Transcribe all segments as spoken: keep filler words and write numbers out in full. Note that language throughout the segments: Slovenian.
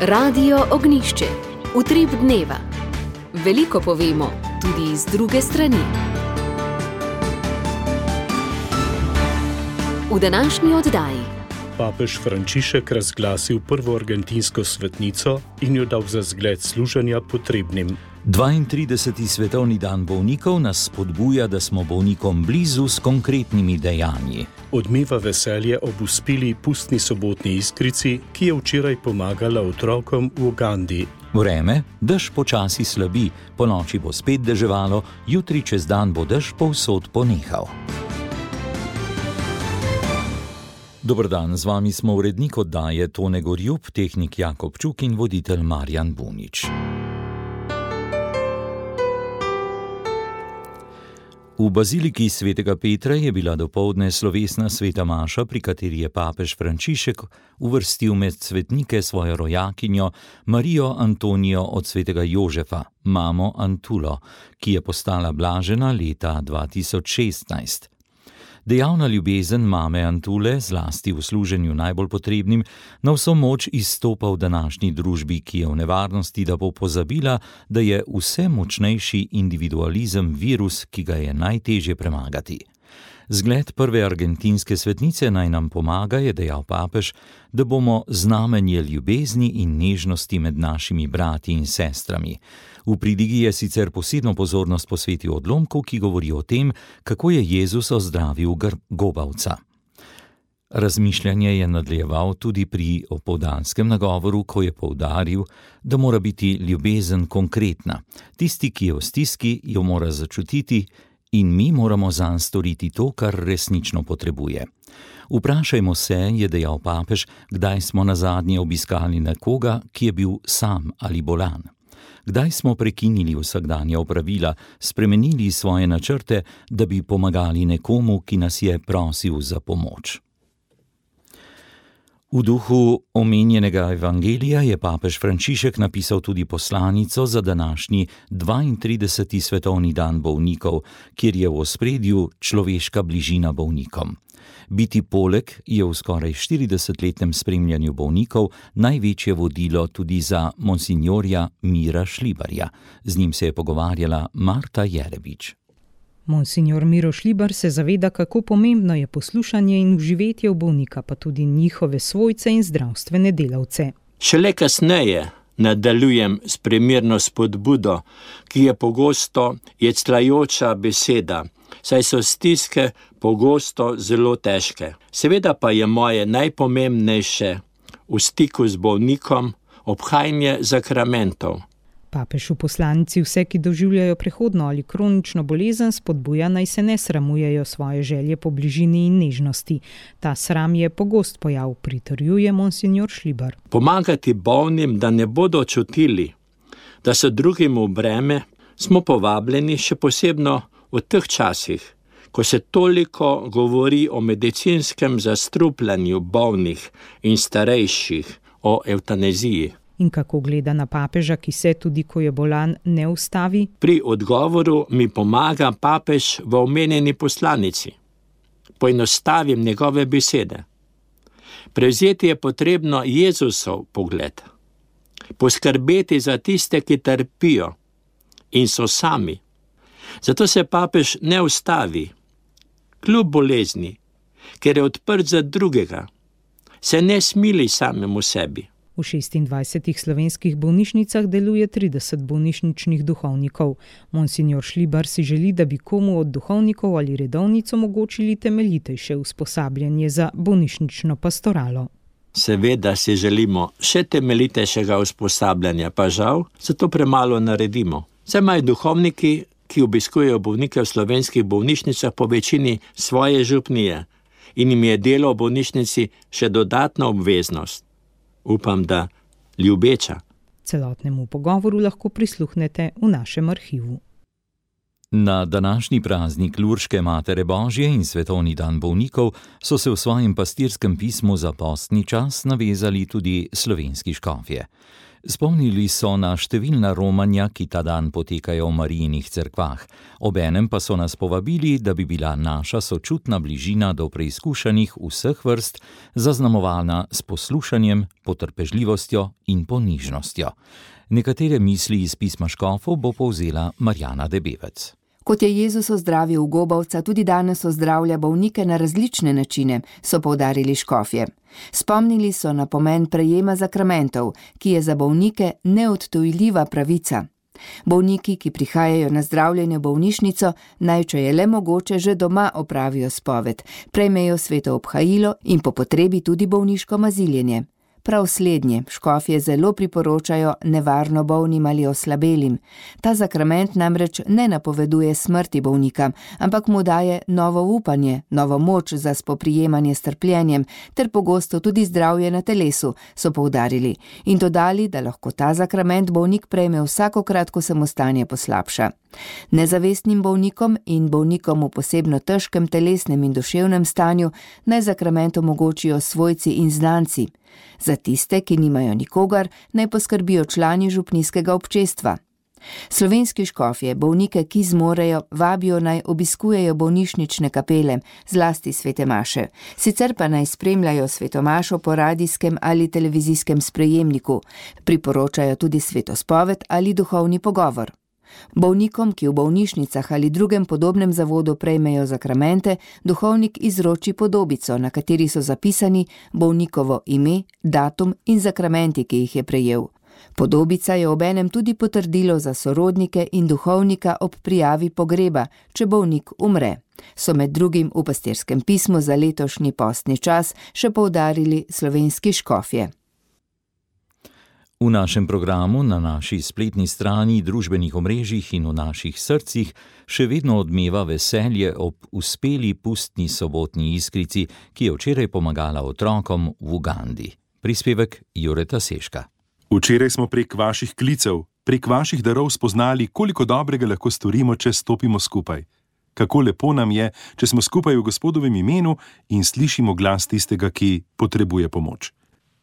Radio Ognišče, utrip dneva. Veliko povemo, tudi iz druge strani. V današnji oddaji papež Frančišek razglasil prvo argentinsko svetnico in jo dal za zgled služenja potrebnim. dvaintrideseti svetovni dan bolnikov nas spodbuja, da smo bolnikom blizu s konkretnimi dejanji. Odmeva veselje ob uspeli pustni sobotni iskrici, ki je včeraj pomagala otrokom v Ugandi. Vreme, dež počasi slabi, ponoči bo spet deževalo, jutri čez dan bo dež povsod ponehal. Dober dan, z vami smo urednik oddaje Tone Gorjup, tehnik Jakob Čuk in voditelj Marjan Bunič. V baziliki svetega Petra je bila dopoldne slovesna sveta maša, pri kateri je papež Frančišek uvrstil med svetnike svojo rojakinjo Marijo Antonijo od svetega Jožefa, mamo Antulo, ki je postala blažena leta dva tisoč šestnajst. Dejavna ljubezen mame Antule, zlasti v služenju najbolj potrebnim, na vso moč izstopa v današnji družbi, ki je v nevarnosti, da bo pozabila, da je vse močnejši individualizem virus, ki ga je najtežje premagati. Zgled prve argentinske svetnice naj nam pomaga, je dejal papež, da bomo znamenje ljubezni in nežnosti med našimi brati in sestrami. V pridigi je sicer posebno pozornost posvetil odlomku, ki govori o tem, kako je Jezus ozdravil gobavca. Razmišljanje je nadaljeval tudi pri opoldanskem nagovoru, ko je poudaril, da mora biti ljubezen konkretna. Tisti, ki je v stiski, jo mora začutiti in mi moramo zanj storiti to, kar resnično potrebuje. Vprašajmo se, je dejal papež, kdaj smo nazadnje obiskali nekoga, ki je bil sam ali bolan. Kdaj smo prekinili vsakdanja opravila, spremenili svoje načrte, da bi pomagali nekomu, ki nas je prosil za pomoč. V duhu omenjenega evangelija je papež Frančišek napisal tudi poslanico za današnji dvaintrideseti svetovni dan bolnikov, kjer je v ospredju človeška bližina bolnikom. Biti poleg je v skoraj štiridesetletnem spremljanju bolnikov največje vodilo tudi za monsinjorja Mira Šlibarja. Z njim se je pogovarjala Marta Jerebič. Monsinjor Miro Šlibar se zaveda, kako pomembno je poslušanje in uživetje v bolnika, pa tudi njihove svojce in zdravstvene delavce. Šele kasneje nadaljujem s primerno spodbudo, ki je pogosto jecljajoča beseda, saj so stiske pogosto zelo težke. Seveda pa je moje najpomembnejše v stiku z bolnikom obhajanje zakramentov. Papež v poslanici vse, ki doživljajo prehodno ali kronično bolezen, spodbuja, naj se ne sramujejo svoje želje po bližini in nežnosti. Ta sram je pogost pojav, pritrjuje monsinjor Šlibar. Pomagati bolnim, da ne bodo čutili, da so drugim v breme, smo povabljeni še posebno v teh časih, ko se toliko govori o medicinskem zastrupljanju bolnih in starejših, o evtanaziji. In kako gleda na papeža, ki se tudi, ko je bolan, ne ustavi? Pri odgovoru mi pomaga papež v omenjeni poslanici. Poenostavim njegove besede. Prevzeti je potrebno Jezusov pogled. Poskrbeti za tiste, ki trpijo in so sami. Zato se papež ne ustavi, kljub bolezni, ker je odprt za drugega. Se ne smili samemu sebi. V šestindvajsetih slovenskih bolnišnicah deluje trideset bolnišničnih duhovnikov. Monsinjor Šlibar si želi, da bi komu od duhovnikov ali redovnic omogočili temeljitejše usposabljanje za bolnišnično pastoralo. Seveda si želimo še temeljitejšega usposabljanja, pa žal, zato premalo naredimo. Saj imajo duhovniki, ki obiskujejo bolnike v slovenskih bolnišnicah, po večini svoje župnije in jim je delo v bolnišnici še dodatna obveznost. Upam, da ljubeča. Celotnemu pogovoru lahko prisluhnete v našem arhivu. Na današnji praznik Lurške Matere Božje in svetovni dan bolnikov so se v svojem pastirskem pismu za postni čas navezali tudi slovenski škofje. Spomnili so na številna romanja, ki ta dan potekajo v Marijinih cerkvah. Obenem pa so nas povabili, da bi bila naša sočutna bližina do preizkušanih vseh vrst zaznamovana s poslušanjem, potrpežljivostjo in ponižnostjo. Nekatere misli iz pisma škofov bo povzela Marjana Debevec. Kot je Jezus ozdravil ugobavca, tudi danes ozdravlja bolnike na različne načine, so poudarili škofje. Spomnili so na pomen prejema zakramentov, ki je za bolnike neodtujljiva pravica. Bolniki, ki prihajajo na zdravljenje v bolnišnico, naj, če je le mogoče, že doma opravijo spoved, prejmejo sveto obhajilo in po potrebi tudi bolniško maziljenje. Prav slednje škofje zelo priporočajo nevarno bolnim ali oslabelim. Ta zakrament namreč ne napoveduje smrti bolnika, ampak mu daje novo upanje, novo moč za spoprijemanje s trpljenjem, ter pogosto tudi zdravje na telesu, so poudarili, in dodali, da lahko ta zakrament bolnik prejme vsakokrat, ko se mu stanje poslabša. Nezavestnim bolnikom in bolnikom v posebno težkem telesnem in duševnem stanju naj zakrament omogočijo svojci in znanci. Za tiste, ki nimajo nikogar, naj poskrbijo člani župnijskega občestva. Slovenski škofje bolnike, ki zmorejo, vabijo naj obiskujejo bolnišnične kapele, zlasti svete maše. Sicer pa naj spremljajo sveto mašo po radijskem ali televizijskem sprejemniku. Priporočajo tudi svetospoved ali duhovni pogovor. Bolnikom, ki v bolnišnicah ali drugem podobnem zavodu prejmejo zakramente, duhovnik izroči podobico, na kateri so zapisani bolnikovo ime, datum in zakramenti, ki jih je prejel. Podobica je obenem tudi potrdilo za sorodnike in duhovnika ob prijavi pogreba, če bolnik umre. So med drugim v pastirskem pismu za letošnji postni čas še poudarili slovenski škofje. V našem programu, na naši spletni strani, družbenih omrežjih in v naših srcih še vedno odmeva veselje ob uspeli pustni sobotni iskrici, ki je včeraj pomagala otrokom v Ugandi. Prispevek Jureta Seška. Včeraj smo prek vaših klicev, prek vaših darov spoznali, koliko dobrega lahko storimo, če stopimo skupaj. Kako lepo nam je, če smo skupaj v Gospodovem imenu in slišimo glas tistega, ki potrebuje pomoč.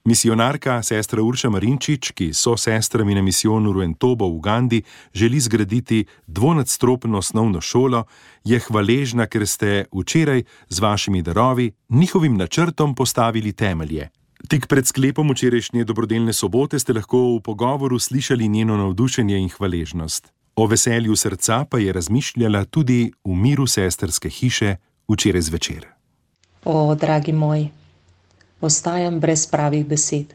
Misionarka sestra Urša Marinčič, ki so sestrami na misijonu Ruentobo v Ugandi, želi zgraditi dvonadstropno osnovno šolo, je hvaležna, ker ste včeraj z vašimi darovi njihovim načrtom postavili temelje. Tik pred sklepom včerajšnje dobrodelne sobote ste lahko v pogovoru slišali njeno navdušenje in hvaležnost. O veselju srca pa je razmišljala tudi v miru sestrske hiše včeraj zvečer. O, dragi moj, ostajam brez pravih besed,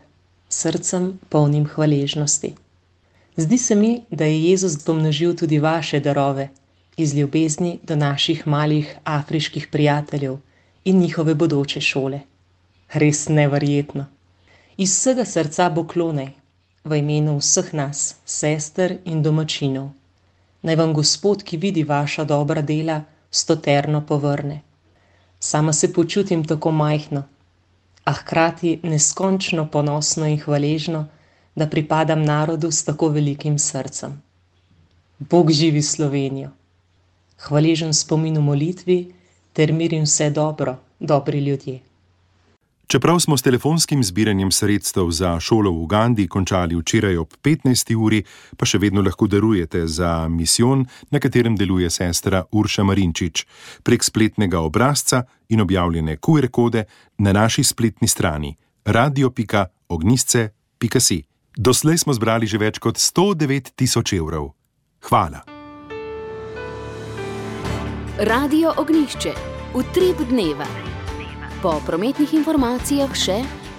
srcem polnim hvaležnosti. Zdi se mi, da je Jezus pomnožil tudi vaše darove, iz ljubezni do naših malih afriških prijateljev in njihove bodoče šole. Res neverjetno. Iz vsega srca poklonaj, v imenu vseh nas, sester in domačinov. Naj vam Gospod, ki vidi vaša dobra dela, stoterno povrne. Sama se počutim tako majhno, a hkrati neskončno ponosno in hvaležno, da pripadam narodu s tako velikim srcem. Bog živi Slovenijo. Hvaležen spomin v molitvi, ter mir in vse dobro, dobri ljudje. Čeprav smo s telefonskim zbiranjem sredstev za šolo v Ugandi končali včeraj ob petnajsti uri, pa še vedno lahko darujete za misijon, na katerem deluje sestra Urša Marinčič, prek spletnega obrazca in objavljene Q R kode na naši spletni strani radio pika ognjisce pika si. Doslej smo zbrali že več kot sto devet tisoč evrov. Hvala. Radio Ognjišče. Utrip dneva. Po prometnih informacijah še: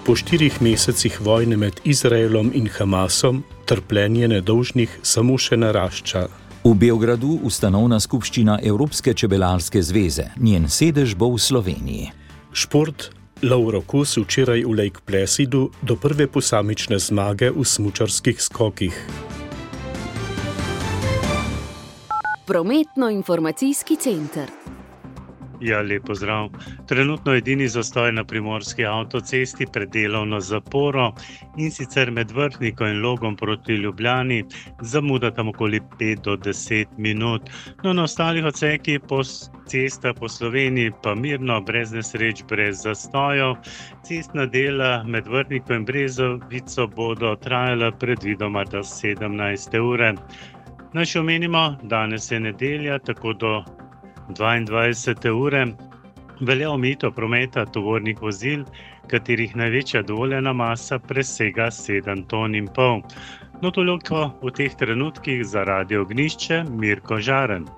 po štirih mesecih vojne med Izraelom in Hamasom trpljenje nedolžnih samo še narašča. V Beogradu ustanovna skupščina Evropske čebelarske zveze. Njen sedež bo v Sloveniji. Šport. Lauro Kos včeraj v Lake Placidu do prve posamične zmage v smučarskih skokih. Prometno-informacijski center. Ja, lep pozdrav. Trenutno edini zastoj na primorski avtocesti pred delovno zaporo in sicer med Vrhnikom in Logom proti Ljubljani, zamuda tam okoli pet do deset minut. No, na ostalih odsekih po cestah po Sloveniji pa mirno, brez nesreč, brez zastojev. Cestna dela med Vrhnikom in Brezovico bodo trajala predvidoma do sedemnajste ure. Naj še omenimo, danes je nedelja, tako do dvaindvajsete ure velja omejitev prometa tovornih vozil, katerih največja dovoljena masa presega sedem ton in pol. No, toliko v teh trenutkih za Radio Ognjišče, Mirko Žaren.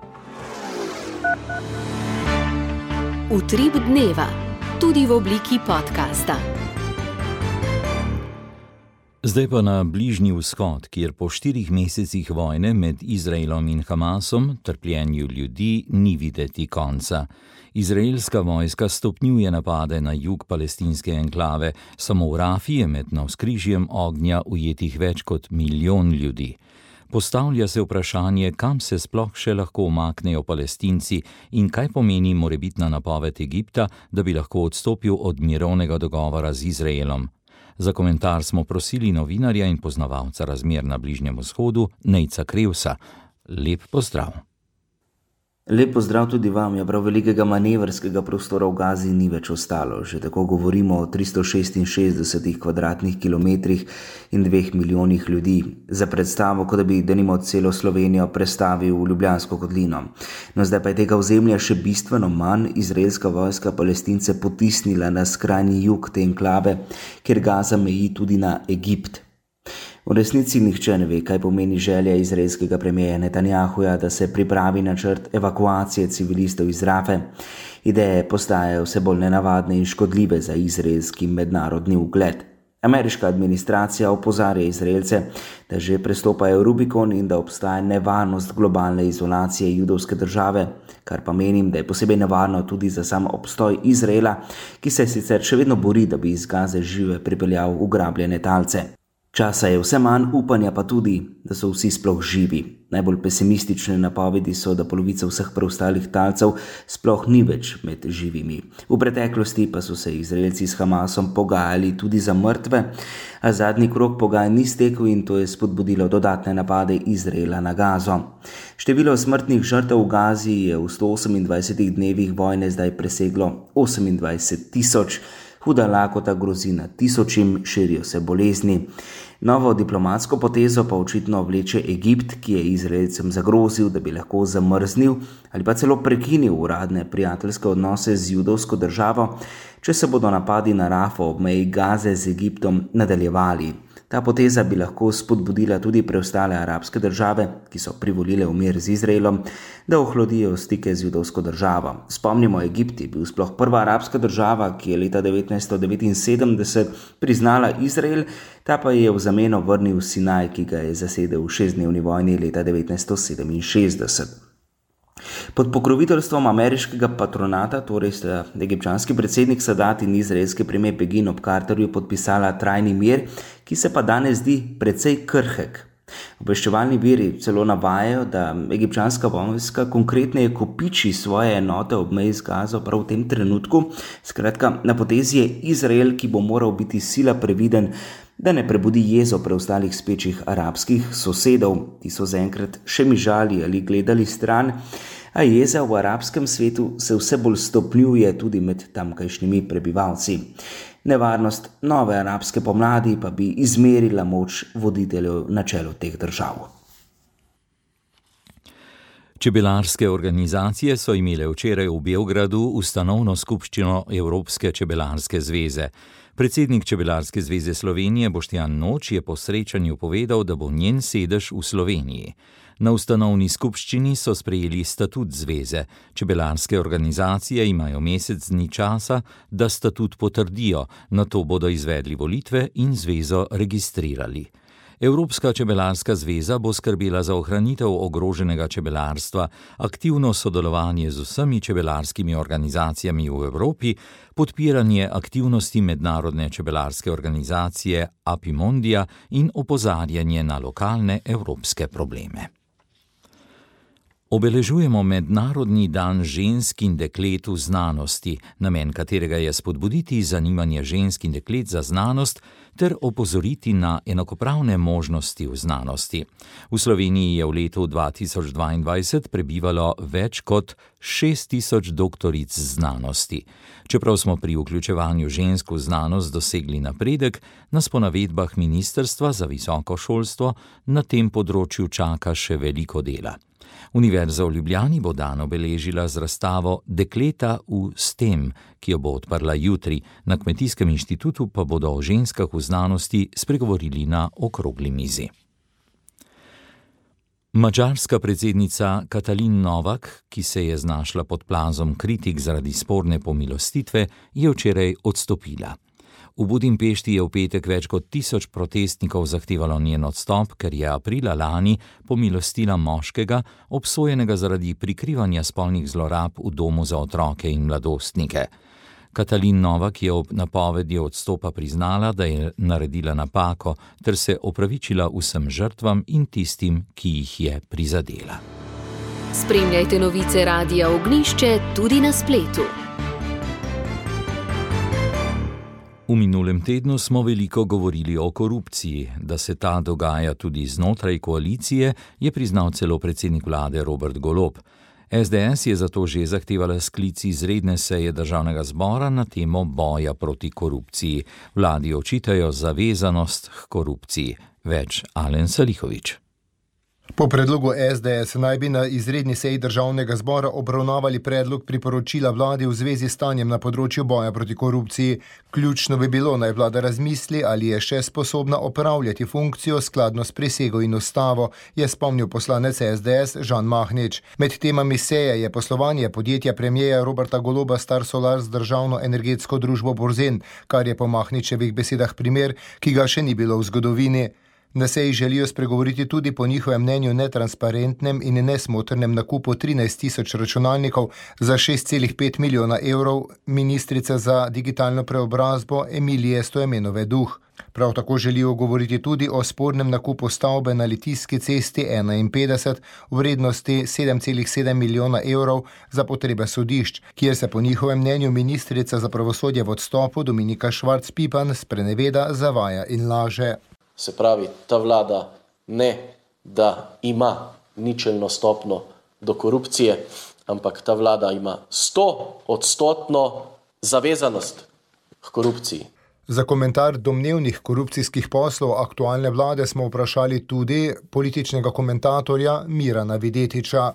Utrip dneva, tudi v obliki podcasta. Zdaj pa na Bližnji vzhod, kjer po štirih mesecih vojne med Izraelom in Hamasom trpljenju ljudi ni videti konca. Izraelska vojska stopnjuje napade na jug palestinske enklave, samo v Rafi je med navzkrižjem ognja ujetih več kot milijon ljudi. Postavlja se vprašanje, kam se sploh še lahko umaknejo Palestinci in kaj pomeni morebitna napoved Egipta, da bi lahko odstopil od mirovnega dogovora z Izraelom. Za komentar smo prosili novinarja in poznavalca razmer na Bližnjem vzhodu, Nejca Krevsa. Lep pozdrav. Lep pozdrav tudi vam. Ja, prav velikega manevrskega prostora v Gazi ni več ostalo. Že tako govorimo o tristo šestinšestdesetih kvadratnih kilometrih in dveh milijonih ljudi. Za predstavo, kot da bi denimo celo Slovenijo prestavil v Ljubljansko kotlino. No, zdaj pa je tega ozemlja še bistveno manj. Izraelska vojska Palestince potisnila na skrajni jug te enklave, kjer Gaza meji tudi na Egipt. V resnici nihče ne ve, kaj pomeni želja izraelskega premierja Netanjahuja, da se pripravi načrt evakuacije civilistov iz Rafe. Ideje postajajo vse bolj nenavadne in škodljive za izraelski mednarodni ugled. Ameriška administracija opozarja Izraelce, da že prestopajo Rubikon in da obstaja nevarnost globalne izolacije judovske države, kar pa menim, da je posebej nevarno tudi za sam obstoj Izraela, ki se sicer še vedno bori, da bi iz Gaze žive pripeljal ugrabljene talce. Časa je vse manj, upanja pa tudi, da so vsi sploh živi. Najbolj pesimistične napovedi so, da polovica vseh preostalih talcev sploh ni več med živimi. V preteklosti pa so se Izraelci s Hamasom pogajali tudi za mrtve, a zadnji krog pogajanj ni stekel in to je spodbudilo dodatne napade Izraela na Gazo. Število smrtnih žrtev v Gazi je v sto osemindvajsetih dnevih vojne zdaj preseglo osemindvajset tisoč. Huda lakota grozi na tisočim, širijo se bolezni. Novo diplomatsko potezo pa očitno vleče Egipt, ki je Izraelcem zagrozil, da bi lahko zamrznil ali pa celo prekinil uradne prijateljske odnose z judovsko državo, če se bodo napadi na Rafo ob meji Gaze z Egiptom nadaljevali. Ta poteza bi lahko spodbudila tudi preostale arabske države, ki so privolile v mir z Izraelom, da ohlodijo stike z judovsko državo. Spomnimo, Egipt je bil sploh prva arabska država, ki je leta devetnajststo devetinsedemdeset priznala Izrael, ta pa je v zameno vrnil Sinaj, ki ga je zasedel v šestdnevni vojni leta devetnajststo sedeminšestdeset. Pod pokroviteljstvom ameriškega patronata, torej sta egipčanski predsednik Sadat in izraelski premier Begin ob Carterju podpisala trajni mir, ki se pa danes zdi precej krhek. Obveščevalni viri celo navajajo, da egipčanska vojska konkretneje kopiči svoje enote ob meji z Gazo prav v tem trenutku. Skratka, na potezi je Izrael, ki bo moral biti sila previden, da ne prebudi jezo preostalih spečih arabskih sosedov. Ti so zaenkrat še mižali ali gledali stran, a jeza v arabskem svetu se vse bolj stopnjuje tudi med tamkajšnjimi prebivalci. Nevarnost nove arabske pomladi pa bi izmerila moč voditeljev na čelu teh držav. Čebelarske organizacije so imele včeraj v Beogradu ustanovno skupščino Evropske čebelarske zveze. Predsednik Čebelarske zveze Slovenije Boštjan Noč je po srečanju povedal, da bo njen sedež v Sloveniji. Na ustanovni skupščini so sprejeli statut zveze. Čebelarske organizacije imajo mesec dni časa, da statut potrdijo, nato bodo izvedli volitve in zvezo registrirali. Evropska čebelarska zveza bo skrbela za ohranitev ogroženega čebelarstva, aktivno sodelovanje z vsemi čebelarskimi organizacijami v Evropi, podpiranje aktivnosti mednarodne čebelarske organizacije Apimondija in opozarjanje na lokalne evropske probleme. Obeležujemo Mednarodni dan žensk in deklet v znanosti, namen katerega je spodbuditi zanimanje žensk in deklet za znanost ter opozoriti na enakopravne možnosti v znanosti. V Sloveniji je v letu dva tisoč dvaindvajset prebivalo več kot šest tisoč doktoric znanosti. Čeprav smo pri vključevanju žensk v znanost dosegli napredek, nas po navedbah Ministrstva za visoko šolstvo na tem področju čaka še veliko dela. Univerza v Ljubljani bo dan obeležila z razstavo Dekleta v STEM, ki jo bo odprla jutri. Na Kmetijskem inštitutu pa bodo o ženskah v znanosti spregovorili na okrogli mizi. Madžarska predsednica Katalin Novak, ki se je znašla pod plazom kritik zaradi sporne pomilostitve, je včeraj odstopila. V Budimpešti je v petek več kot tisoč protestnikov zahtevalo njen odstop, ker je aprila lani pomilostila moškega, obsojenega zaradi prikrivanja spolnih zlorab v domu za otroke in mladostnike. Katalin Novak je ob napovedi odstopa priznala, da je naredila napako, ter se opravičila vsem žrtvam in tistim, ki jih je prizadela. Spremljajte novice Radia Ognjišče tudi na spletu. V minulem tednu smo veliko govorili o korupciji. Da se ta dogaja tudi znotraj koalicije, je priznal celo predsednik vlade Robert Golob. es de es je zato že zahtevala sklic izredne seje državnega zbora na temo boja proti korupciji. Vladi očitajo zavezanost k korupciji. Več Alen Salihović. Po predlogu es de es naj bi na izredni seji državnega zbora obravnavali predlog priporočila vladi v zvezi s stanjem na področju boja proti korupciji. Ključno bi bilo, naj vlada razmisli, ali je še sposobna opravljati funkcijo skladno s prisego in ustavo, je spomnil poslanec es de es Žan Mahnič. Med temami seje je poslovanje podjetja premijeja Roberta Goloba Star Solar z državno energetsko družbo Borzen, kar je po Mahničevih besedah primer, ki ga še ni bilo v zgodovini. Na seji želijo spregovoriti tudi po njihovem mnenju netransparentnem in nesmotrnem nakupu trinajst tisoč računalnikov za šest celih pet milijona evrov ministrice za digitalno preobrazbo Emilije Stojmenove Duh. Prav tako želijo govoriti tudi o spornem nakupu stavbe na Litijski cesti enainpetdeset v vrednosti sedem celih sedem milijona evrov za potrebe sodišč, kjer se po njihovem mnenju ministrica za pravosodje v odstopu Dominika Švarc-Pipan spreneveda, zavaja in laže. Se pravi, ta vlada ne, da ima ničelno stopno do korupcije, ampak ta vlada ima sto odstotno zavezanost k korupciji. Za komentar domnevnih korupcijskih poslov aktualne vlade smo vprašali tudi političnega komentatorja Mirana Videtiča.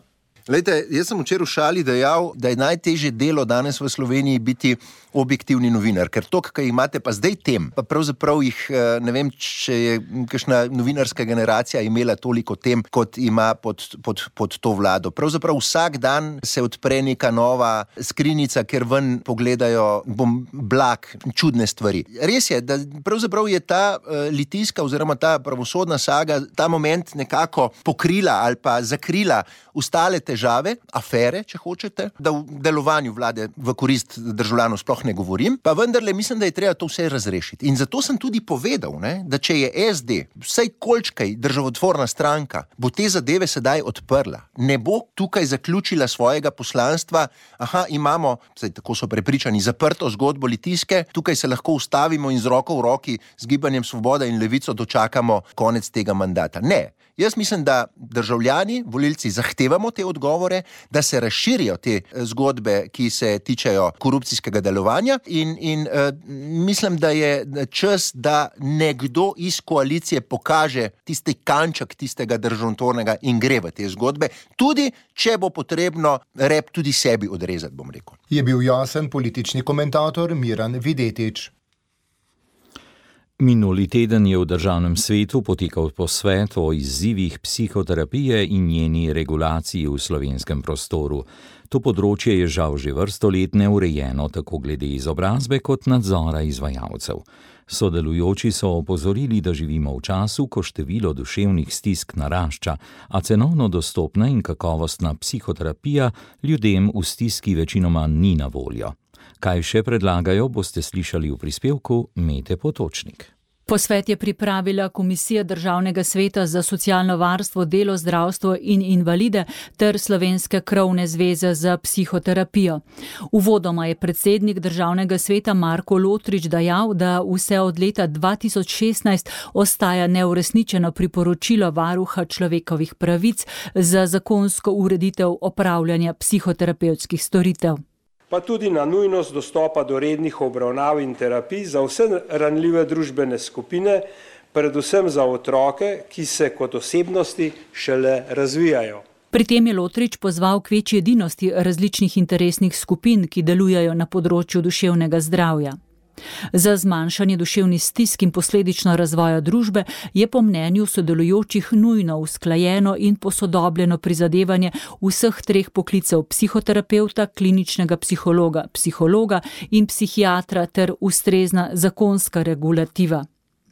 Lejte, jaz sem včeraj v šali dejal, da je najtežje delo danes v Sloveniji biti objektivni novinar, ker to, kaj imate pa zdaj tem, pa pravzaprav jih, ne vem, če je kakšna novinarska generacija imela toliko tem, kot ima pod, pod, pod to vlado. Pravzaprav vsak dan se odpre neka nova skrinjica, ker ven pogledajo bom blag, čudne stvari. Res je, da pravzaprav je ta uh, litijska oziroma ta pravosodna saga ta moment nekako pokrila ali pa zakrila ostale težave, afere, če hočete, da v delovanju vlade v korist državljanov sploh ne govorim, pa vendarle mislim, da je treba to vse razrešiti. In zato sem tudi povedal, ne, da če je es de, vsaj kolčkaj državotvorna stranka, bo te zadeve sedaj odprla. Ne bo tukaj zaključila svojega poslanstva, aha, imamo, saj tako so prepričani, zaprto zgodbo Litijske, tukaj se lahko ustavimo in z roko v roki z Gibanjem Svoboda in Levico dočakamo konec tega mandata. Ne. Jaz mislim, da državljani, volilci zahtevamo te odgovore, da se razširijo te zgodbe, ki se tičejo korupcijskega delovanja in, in uh, mislim, da je čas, da nekdo iz koalicije pokaže tisti kanček tistega državotvornega in gre v te zgodbe, tudi če bo potrebno rep tudi sebi odrezati, bom rekel. Je bil jasen politični komentator Miran Videtič. Minuli teden je v državnem svetu potekal posvet o izzivih psihoterapije in njeni regulaciji v slovenskem prostoru. To področje je žal že vrsto let neurejeno tako glede izobrazbe kot nadzora izvajalcev. Sodelujoči so opozorili, da živimo v času, ko število duševnih stisk narašča, a cenovno dostopna in kakovostna psihoterapija ljudem v stiski večinoma ni na voljo. Kaj še predlagajo, boste slišali v prispevku Mete Potočnik. Posvet je pripravila Komisija Državnega sveta za socialno varstvo, delo, zdravstvo in invalide ter Slovenske krovne zveze za psihoterapijo. Uvodoma je predsednik Državnega sveta Marko Lotrič dejal, da vse od leta dva tisoč šestnajst ostaja neuresničeno priporočilo varuha človekovih pravic za zakonsko ureditev opravljanja psihoterapevtskih storitev. Pa tudi na nujnost dostopa do rednih obravnav in terapij za vse ranljive družbene skupine, predvsem za otroke, ki se kot osebnosti šele razvijajo. Pri tem je Lotrič pozval k večji edinosti različnih interesnih skupin, ki delujejo na področju duševnega zdravja. Za zmanjšanje duševnih stisk in posledično razvoja družbe je po mnenju sodelujočih nujno usklajeno in posodobljeno prizadevanje vseh treh poklicev psihoterapevta, kliničnega psihologa, psihologa in psihiatra ter ustrezna zakonska regulativa.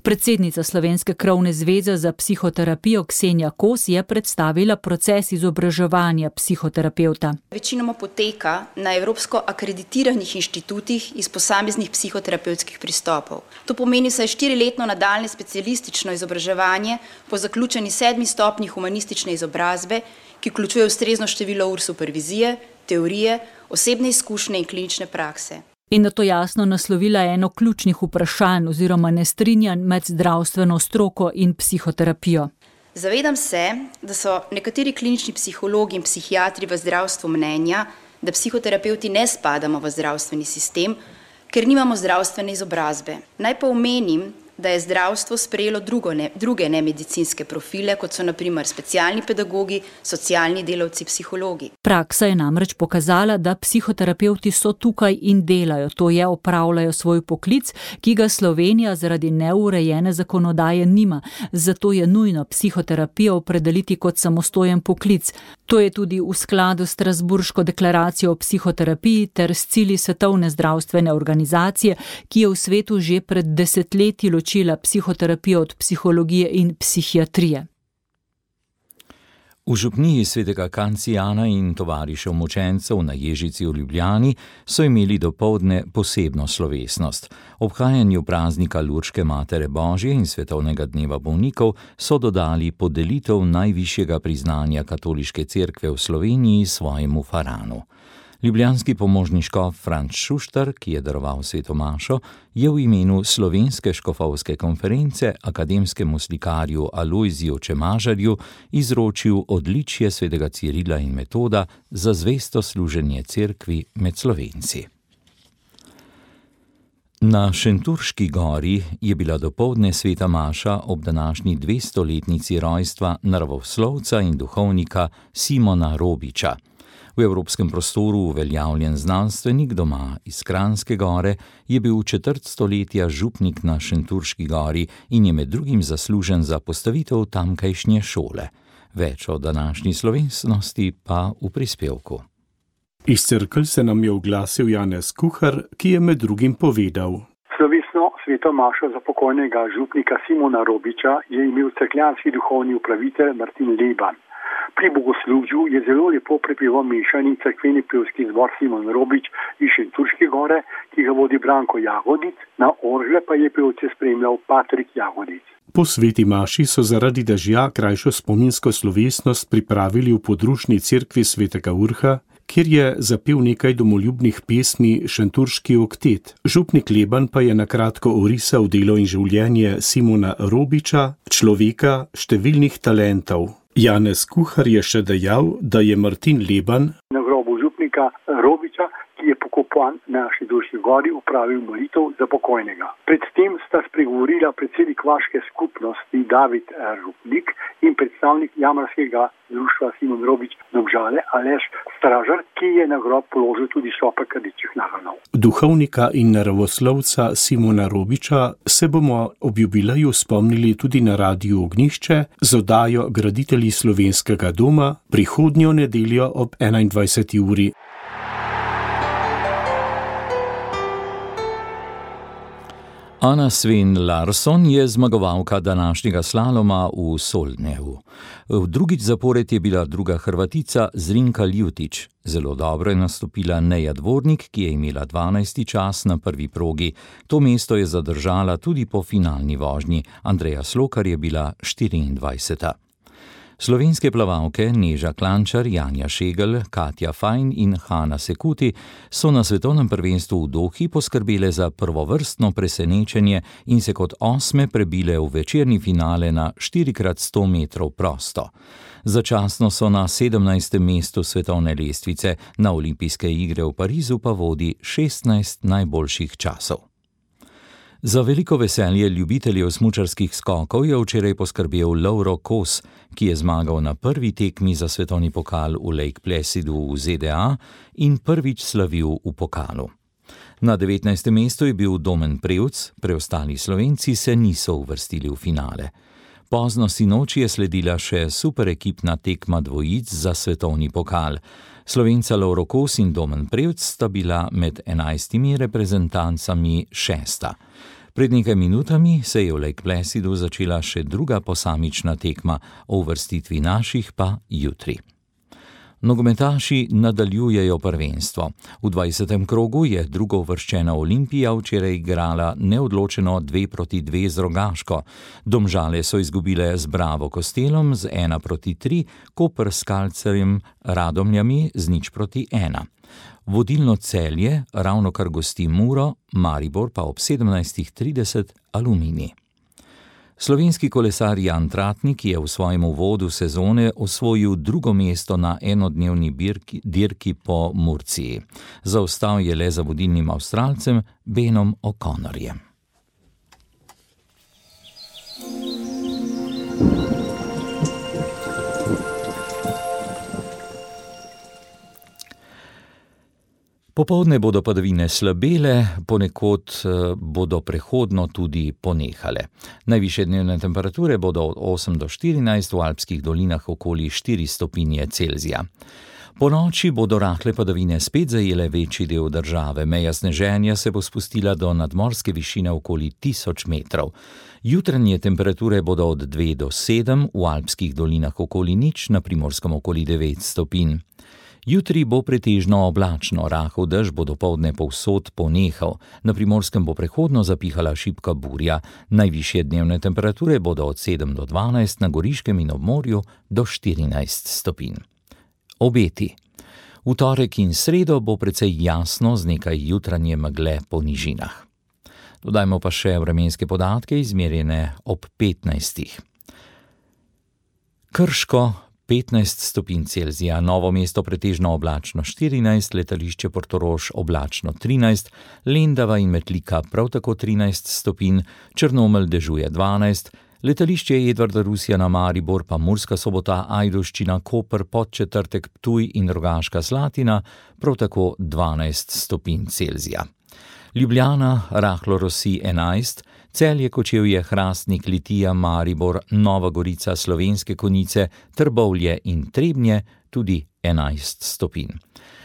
Predsednica Slovenske krovne zveze za psihoterapijo Ksenija Kos je predstavila proces izobraževanja psihoterapevta. Večinoma poteka na evropsko akreditiranih inštitutih iz posameznih psihoterapevtskih pristopov. To pomeni vsaj štiriletno nadaljnje specialistično izobraževanje po zaključeni sedmi stopnji humanistične izobrazbe, ki vključuje ustrezno število ur supervizije, teorije, osebne izkušnje in klinične prakse. In na to jasno naslovila eno ključnih vprašanj oziroma nestrinjanj med zdravstveno stroko in psihoterapijo. Zavedam se, da so nekateri klinični psihologi in psihiatri v zdravstvu mnenja, da psihoterapevti ne spadamo v zdravstveni sistem, ker nimamo zdravstvene izobrazbe. Naj pa omenim, da je zdravstvo sprejelo drugo ne, druge nemedicinske profile, kot so na primer specialni pedagogi, socialni delavci, psihologi. Praksa je namreč pokazala, da psihoterapevti so tukaj in delajo, to je opravljajo svoj poklic, ki ga Slovenija zaradi neurejene zakonodaje nima. Zato je nujno psihoterapijo opredeliti kot samostojen poklic. To je tudi v skladu s Strasbourško deklaracijo o psihoterapiji ter s cilji Svetovne zdravstvene organizacije, ki je v svetu že pred desetletji ločila psihoterapijo od psihologije in psihiatrije. V župniji svetega Kancijana in tovarišev mučencev na Ježici v Ljubljani so imeli dopoldne posebno slovesnost. Obhajanju praznika Lurške Matere Božje in Svetovnega dneva bolnikov so dodali podelitev najvišjega priznanja Katoliške cerkve v Sloveniji svojemu faranu. Ljubljanski pomožni škof Franc Šuštar, ki je daroval sveto mašo, je v imenu Slovenske škofovske konference akademskemu slikarju Alojziju Čemažarju izročil odličje svetega Cirila in Metoda za zvesto služenje cerkvi med Slovenci. Na Šentjurški gori je bila dopoldne sveta maša ob današnji dvestoletnici rojstva naravoslovca in duhovnika Simona Robiča. V evropskem prostoru uveljavljen znanstvenik doma iz Kranjske gore je bil četrt stoletja župnik na Šentjurški gori in je med drugim zaslužen za postavitev tamkajšnje šole. Več o današnji slovesnosti pa v prispevku. Iz Cerkelj se nam je oglasil Janez Kuhar, ki je med drugim povedal. Slovesno sveto mašo za pokojnega župnika Simona Robiča je imel cerkljanski duhovni upravitelj Martin Leban. Pri bogoslužju je zelo lepo prepeval mešani cerkveni pevski zbor Simon Robič iz Šentjurške gore, ki ga vodi Branko Jagodic, na orgle pa je pevce spremljal Patrik Jagodic. Po sveti maši so zaradi dežja krajšo spominsko slovesnost pripravili v podružni cerkvi svetega Urha, kjer je zapel nekaj domoljubnih pesmi Šentjurški oktet. Župnik Leban pa je nakratko orisal delo in življenje Simona Robiča, človeka številnih talentov. Janez Kuhar je še dejal, da je Martin Leban na grobu župnika Robiča, ki je pokopan na Šentjurški gori, upravil molitev za pokojnega. Predtem sta spregovorila predsednik vaške skupnosti David Rupnik in predstavnik jamarskega društva Simon Robič Domžale Aleš Stražar, ki je na grob položil tudi šopek rdečih nagrnov. Duhovnika in naravoslovca Simona Robiča se bomo ob jubileju spomnili tudi na Radiu Ognjišče z oddajo Graditelji slovenskega doma prihodnjo nedeljo ob enaindvajseti uri. Anna Sven Larsson je zmagovalka današnjega slaloma v Solnevu. V drugič zapored je bila druga Hrvatica Zrinka Ljutić. Zelo dobro je nastopila Neja Dvornik, ki je imela dvanajsti čas na prvi progi. To mesto je zadržala tudi po finalni vožnji. Andreja Slokar je bila štiriindvajseta. Slovenske plavalke Neža Klančar, Janja Šegel, Katja Fajn in Hana Sekuti so na svetovnem prvenstvu v Dohi poskrbele za prvovrstno presenečenje in se kot osme prebile v večerni finale na štiri krat sto metrov prosto. Začasno so na sedemnajstem mestu svetovne lestvice, na olimpijske igre v Parizu pa vodi šestnajst najboljših časov. Za veliko veselje ljubiteljev smučarskih skokov je včeraj poskrbel Lauro Kos, ki je zmagal na prvi tekmi za svetovni pokal v Lake Placidu v Z D A in prvič slavil v pokalu. Na devetnajstem mestu je bil Domen Prevc, preostali Slovenci se niso uvrstili v finale. Pozno sinoči je sledila še superekipna tekma dvojic za svetovni pokal. Slovenca Lauro Kos in Domen Prevc sta bila med enajstimi reprezentancami šesta. Pred nekaj minutami se je v Lake Placidu začela še druga posamična tekma, o uvrstitvi naših pa jutri. Nogometaši nadaljujejo prvenstvo. V dvajsetem krogu je drugouvrščena Olimpija včeraj igrala neodločeno dve proti dve z Rogaško. Domžale so izgubile z Bravo Kostelom z ena proti tri, Koper s Kalcerjem Radomljami z nič proti ena. Vodilno Celje ravno kar gosti Muro, Maribor pa ob sedemnajstih trideset Aluminij. Slovenski kolesar Jan Tratnik je v svojem uvodu sezone osvojil drugo mesto na enodnevni birki, dirki po Murciji. Zaostal je le za vodilnim Avstralcem Benom O'Connorjem. Popoldne bodo padavine slabele, ponekod bodo prehodno tudi ponehale. Najvišje dnevne temperature bodo od osem do štirinajst, v alpskih dolinah okoli štiri stopinje Celzija. Po noči bodo rahle padavine spet zajele večji del države. Meja sneženja se bo spustila do nadmorske višine okoli tisoč metrov. Jutranje temperature bodo od dve do sedem, v alpskih dolinah okoli nič, na Primorskem okoli devet stopinj. Jutri bo pretežno oblačno, rahel dež bo dopoldne povsod ponehal. Na Primorskem bo prehodno zapihala šibka burja. Najvišje dnevne temperature bodo od sedem do dvanajst, na Goriškem in ob morju do štirinajst stopinj. Obeti. V torek in sredo bo precej jasno z nekaj jutranje megle po nižinah. Dodajmo pa še vremenske podatke, izmerjene ob petnajstih. Krško petnajst stopinj Celzija, Novo mesto pretežno oblačno štirinajst, letališče Portorož oblačno trinajst, Lendava in Metlika prav tako trinajst stopinj, Črnomelj dežuje dvanajst, letališče Edvarda Rusjana Maribor pa Murska Sobota, Ajdovščina, Koper, Podčetrtek, Ptuj in Rogaška Slatina prav tako dvanajst stopinj Celzija. Ljubljana rahlo rosi enajst, Celje, Kočevje, Hrastnik, Litija, Maribor, Nova Gorica, Slovenske Konjice, Trbovlje in Trebnje tudi enajst stopinj.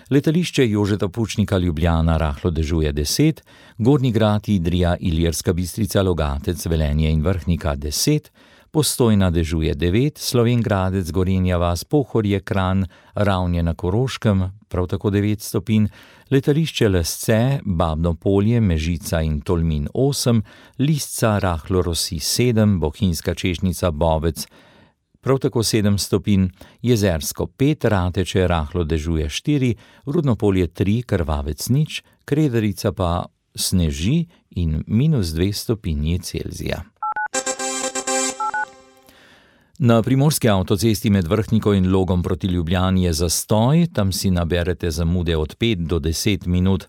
Letališče Jožeta Pučnika Ljubljana rahlo dežuje deset, Gornji Grad, Idrija, Ilirska Bistrica, Logatec, Velenje in Vrhnika deset, Postojna dežuje devet, Slovenj Gradec, Gorenja vas, Pohorje, Kranj, Ravnje na Koroškem, prav tako devet stopinj, letališče Lesce, Babno Polje, Mežica in Tolmin osem, Lisca rahlo rosi sedem, Bohinjska Češnica, Bovec, prav tako sedem stopinj, Jezersko pet, Rateče rahlo dežuje štiri, Rudno Polje tri, Krvavec nič, Krederica pa sneži in minus dve stopinji Celzija. Na primorski avtocesti med Vrhniko in Logom proti Ljubljani je zastoj, tam si naberete zamude od pet do deset minut.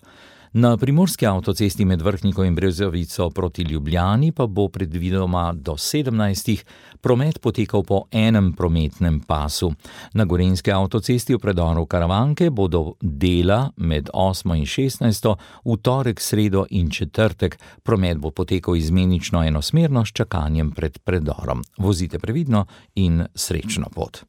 Na primorski avtocesti med Vrhniko in Brezovico proti Ljubljani pa bo predvidoma do sedemnajstih promet potekal po enem prometnem pasu. Na gorenjski avtocesti v predoru Karavanke bodo dela med osmo in šestnajsto, v torek, sredo in četrtek. Promet bo potekal izmenično enosmerno s čakanjem pred predorom. Vozite previdno in srečno pot.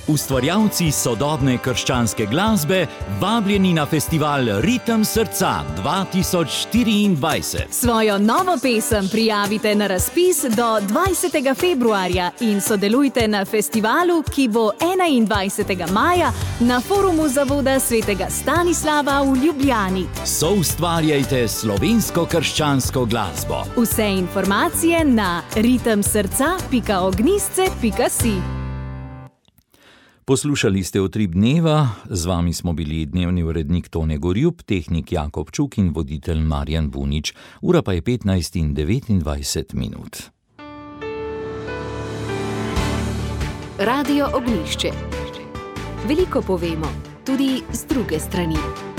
Ustvarjalci sodobne krščanske glasbe, vabljeni na festival Ritem srca dva tisoč štiriindvajset. Svojo novo pesem prijavite na razpis do dvajsetega februarja in sodelujte na festivalu, ki bo enaindvajsetega maja na forumu Zavoda svetega Stanislava v Ljubljani. Soustvarjajte slovensko krščansko glasbo. Vse informacije na ritem srca pika ognjišče pika si. Poslušali ste Utrip dneva, z vami smo bili dnevni urednik Tone Gorjup, tehnik Jakob Čuk in voditelj Marjan Bunič. Ura pa je petnajst in devetindvajset minut. Radio Ognjišče. Veliko povemo, tudi z druge strani.